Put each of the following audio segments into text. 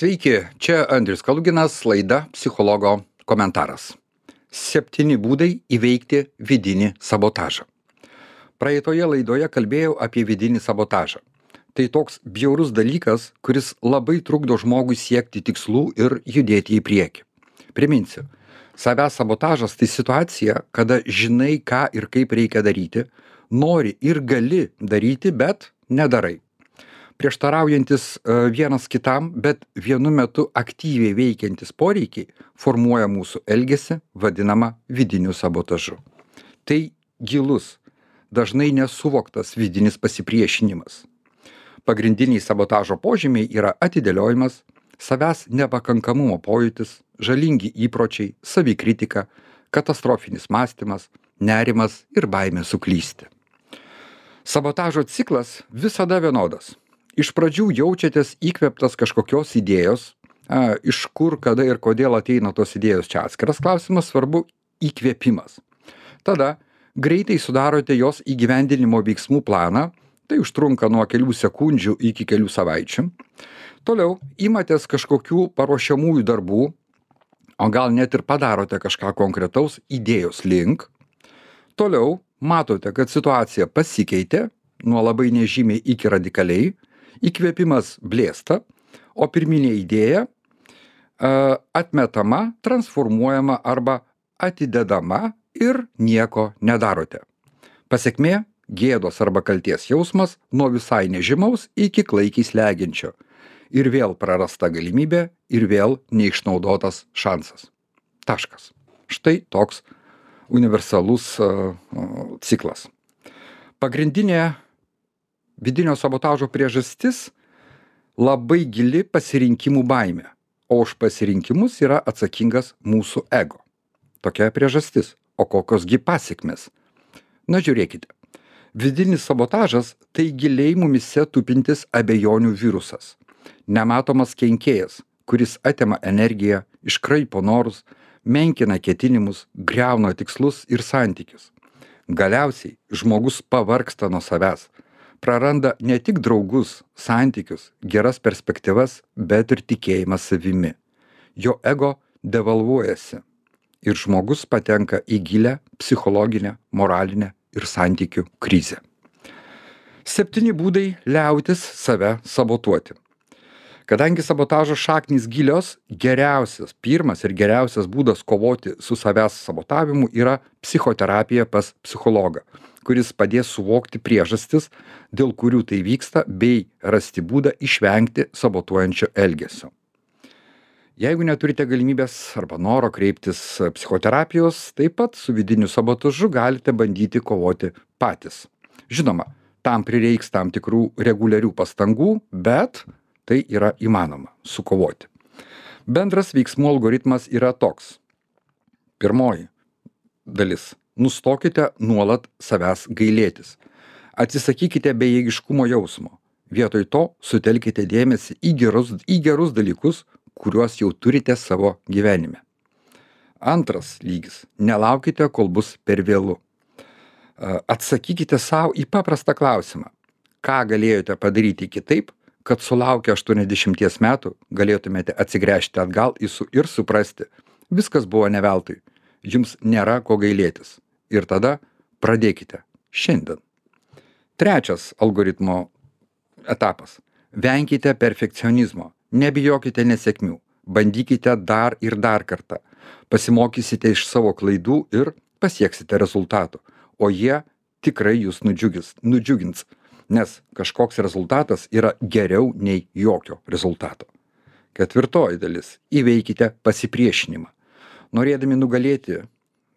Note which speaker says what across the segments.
Speaker 1: Sveiki, čia Andrius Kaluginas, laida Psichologo komentaras. 7 būdai įveikti vidinį sabotažą. Praeitoje laidoje kalbėjau apie vidinį sabotažą. Tai toks bjaurus dalykas, kuris labai trukdo žmogui siekti tikslų ir judėti į priekį. Priminsiu, savęs sabotažas tai situacija, kada žinai, ką ir kaip reikia daryti, nori ir gali daryti, bet nedarai. Prieštaraujantis vienas kitam, bet vienu metu aktyviai veikiantis poreikiai formuoja mūsų elgesį, vadinamą vidiniu sabotažu. Tai gilus, dažnai nesuvoktas vidinis pasipriešinimas. Pagrindiniai sabotažo požymiai yra atidėliojimas, savęs nepakankamumo pojūtis, žalingi įpročiai, savikritika, katastrofinis mąstymas, nerimas ir baimė suklysti. Sabotažo ciklas visada vienodas. Iš pradžių jaučiatės įkvėptas kažkokios idėjos, iš kur, kada ir kodėl ateina tos idėjos, čia atskiras klausimas, svarbu įkvėpimas. Tada greitai sudarote jos įgyvendinimo veiksmų planą, tai užtrunka nuo kelių sekundžių iki kelių savaičių. Toliau imatės kažkokių paruošiamųjų darbų, o gal net ir padarote kažką konkretaus idėjos link. Toliau matote, kad situacija pasikeitė nuo labai nežymiai iki radikaliai, įkvėpimas blėsta, o pirminė idėja atmetama, transformuojama arba atidedama ir nieko nedarote. Pasekmė – gėdos arba kalties jausmas nuo visai nežymaus iki klaikiai slegiančio. Ir vėl prarasta galimybė, ir vėl neišnaudotas šansas. Taškas. Štai toks universalus ciklas. Pagrindinė vidinio sabotažo priežastis labai gili pasirinkimų baimė, o už pasirinkimus yra atsakingas mūsų ego. Tokia priežastis, o kokios gi pasekmės? Na žiūrėkite, vidinis sabotažas tai giliai mumyse tupintis abejonių virusas, nematomas kenkėjas, kuris atima energiją, iškraipo norus, menkina ketinimus, griauna tikslus ir santykius. Galiausiai žmogus pavargsta nuo savęs, praranda ne tik draugus, santykius, geras perspektyvas, bet ir tikėjimą savimi. Jo ego devalvuojasi ir žmogus patenka į gilę psichologinę, moralinę ir santykių krizę. 7 būdai liautis save sabotuoti. Kadangi sabotažo šaknys gilios, pirmas ir geriausias būdas kovoti su savęs sabotavimu yra psichoterapija pas psichologą, kuris padės suvokti priežastis, dėl kurių tai vyksta, bei rasti būdą išvengti sabotuojančio elgesio. Jeigu neturite galimybės arba noro kreiptis psichoterapijos, taip pat su vidiniu sabotažu galite bandyti kovoti patys. Žinoma, tam prireiks tam tikrų reguliarių pastangų, bet tai yra įmanoma sukovoti. Bendras veiksmų algoritmas yra toks. Pirmoji dalis. Nustokite nuolat savęs gailėtis. Atsisakykite bejėgiškumo jausmo. Vietoj to sutelkite dėmesį į gerus dalykus, kuriuos jau turite savo gyvenime. Antras lygis. Nelaukite, kol bus per vėlu. Atsakykite savo į paprastą klausimą. Ką galėjote padaryti kitaip, kad sulaukę 80 metų galėtumėte atsigręžti atgal ir suprasti, viskas buvo ne veltui, jums nėra ko gailėtis. Ir tada pradėkite šiandien. Trečias algoritmo etapas. Venkite perfekcionizmo, nebijokite nesėkmių, bandykite dar ir dar kartą, pasimokysite iš savo klaidų ir pasieksite rezultatų, o jie tikrai jūs nudžiugins. Nes kažkoks rezultatas yra geriau nei jokio rezultato. Ketvirtoji dalis. Įveikite pasipriešinimą. Norėdami nugalėti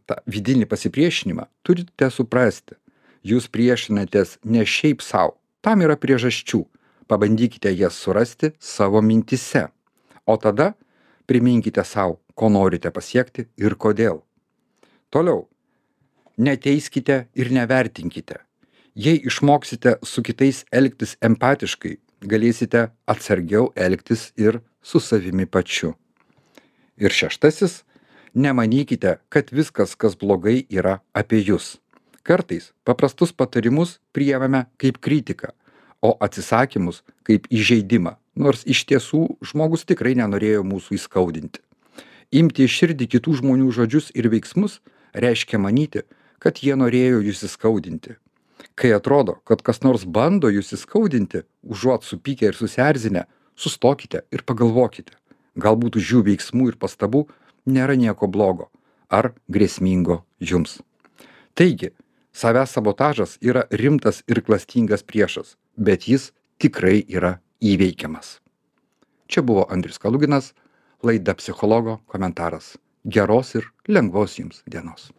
Speaker 1: tą vidinį pasipriešinimą, turite suprasti. Jūs priešinatės ne šiaip savo. Tam yra priežasčių. Pabandykite jas surasti savo mintyse. O tada priminkite savo, ko norite pasiekti ir kodėl. Toliau. Neteiskite ir nevertinkite. Jei išmoksite su kitais elgtis empatiškai, galėsite atsargiau elgtis ir su savimi pačiu. Ir šeštasis, nemanykite, kad viskas, kas blogai, yra apie jus. Kartais paprastus patarimus priėmame kaip kritiką, o atsisakymus kaip įžeidimą, nors iš tiesų žmogus tikrai nenorėjo mūsų įskaudinti. Imti į širdį kitų žmonių žodžius ir veiksmus reiškia manyti, kad jie norėjo jūs įskaudinti. Kai atrodo, kad kas nors bando jūs įskaudinti, užuot supykę ir susierzinę, sustokite ir pagalvokite. Galbūt už jų veiksmų ir pastabų nėra nieko blogo ar grėsmingo jums. Taigi, savęs sabotažas yra rimtas ir klastingas priešas, bet jis tikrai yra įveikiamas. Čia buvo Andrius Kaluginas, laida Psichologo komentaras. Geros ir lengvos jums dienos.